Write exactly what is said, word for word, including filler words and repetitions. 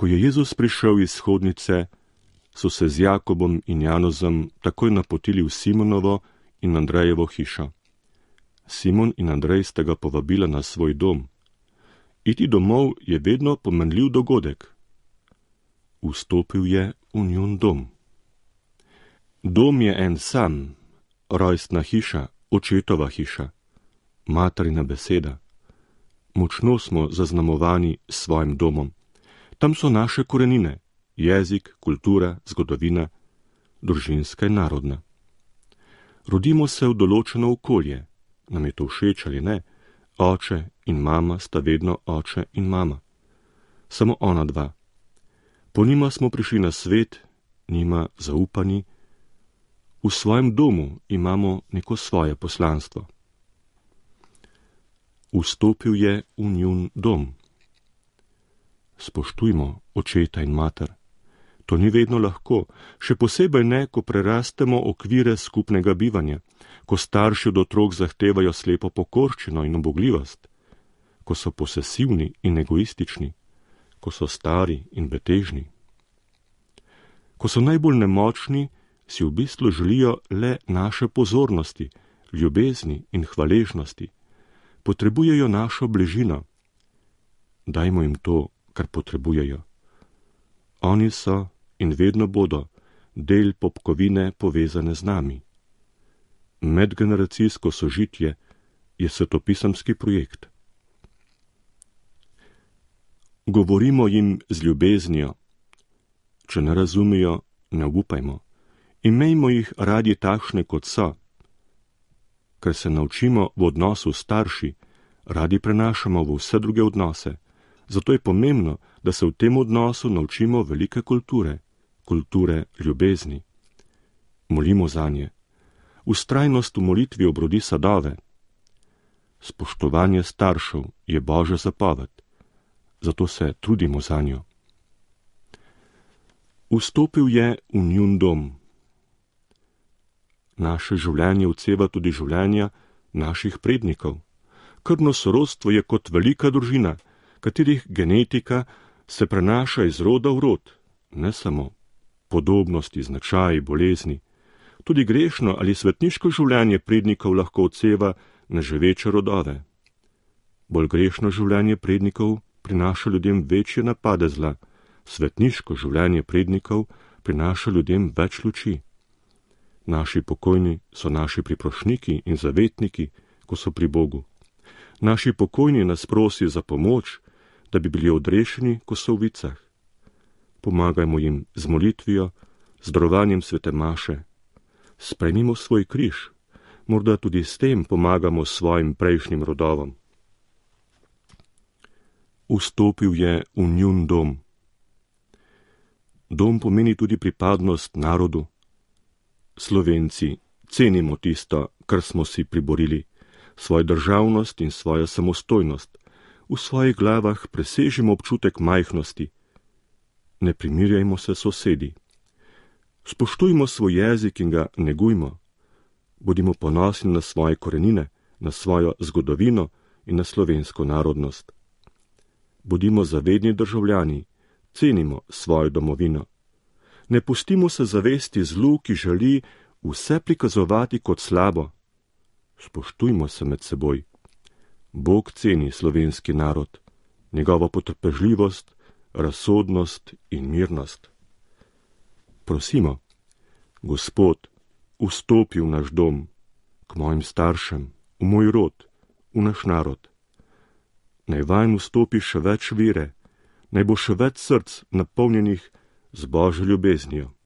Ko je Jezus prišel iz shodnice, so se z Jakobom in Janozom takoj napotili v Simonovo in Andrejevo hišo. Simon in Andrej sta ga povabila na svoj dom. Iti domov je vedno pomenljiv dogodek. Vstopil je v njun dom. Dom je en sam, rojstna hiša, očetova hiša, materina beseda. Močno smo zaznamovani s svojim domom. Tam so naše korenine, jezik, kultura, zgodovina, družinska in narodna. Rodimo se v določeno okolje, nam je to všeč ali ne, oče in mama sta vedno oče in mama. Samo ona dva. Po njima smo prišli na svet, njima zaupani. V svojem domu imamo neko svoje poslanstvo. Vstopil je v njun dom. Spoštujmo očeta in mater. To ni vedno lahko, še posebej ne, ko prerastemo okvire skupnega bivanja, ko starši od otrok zahtevajo slepo pokorščino in ubogljivost, ko so posesivni in egoistični, ko so stari in betežni. Ko so najbolj nemočni, si v bistvu želijo le naše pozornosti, ljubezni in hvaležnosti. Potrebujejo našo bližino. Dajmo jim to, kar potrebujejo. Oni so in vedno bodo del popkovine povezane z nami. Medgeneracijsko sožitje je svetopisemski projekt. Govorimo jim z ljubeznijo. Če ne razumijo, ne obupajmo. Imejmo jih radi takšne, kot so. Ker se naučimo v odnosu s starši, radi prenašamo v vse druge odnose. Zato je pomembno, da se v tem odnosu naučimo velike kulture, kulture ljubezni. Molimo zanje. Vztrajnost v molitvi obrodi sadove. Spoštovanje staršev je Božja zapoved, zato se trudimo zanjo. Vstopil je v njun dom. Naše življenje odseva tudi življenja naših prednikov. Krvno sorodstvo je kot velika družina, katerih genetika se prenaša iz roda v rod, ne samo podobnosti, značaji, bolezni. Tudi grešno ali svetniško življenje prednikov lahko odseva neživeče rodove. Bolj grešno življenje prednikov prinaša ljudem večje napade zla, svetniško življenje prednikov prinaša ljudem več luči. Naši pokojni so naši priprošniki in zavetniki, ko so pri Bogu. Naši pokojni nas prosijo za pomoč, da bi bili odrešeni, ko so v vicah. Pomagajmo jim z molitvijo, z darovanjem svete maše. Sprejmimo svoj križ, morda tudi s tem pomagamo svojim prejšnjim rodovom. Vstopil je v njun dom. Dom pomeni tudi pripadnost narodu. Slovenci cenimo tisto, kar smo si priborili, svojo državnost in svojo samostojnost. V svojih glavah presežimo občutek majhnosti. Ne primirjajmo se sosedi. Spoštujmo svoj jezik in ga negujmo. Bodimo ponosni na svoje korenine, na svojo zgodovino in na slovensko narodnost. Bodimo zavedni državljani, cenimo svojo domovino. Ne pustimo se zavesti zlu, ki želi vse prikazovati kot slabo. Spoštujmo se med seboj. Bog ceni slovenski narod, njegovo potrpežljivost, razsodnost in mirnost. Prosimo, Gospod, vstopi v naš dom, k mojim staršem, v moj rod, v naš narod. Naj vanj vstopi še več vere, naj bo še več src napolnjenih z Božjo ljubeznijo.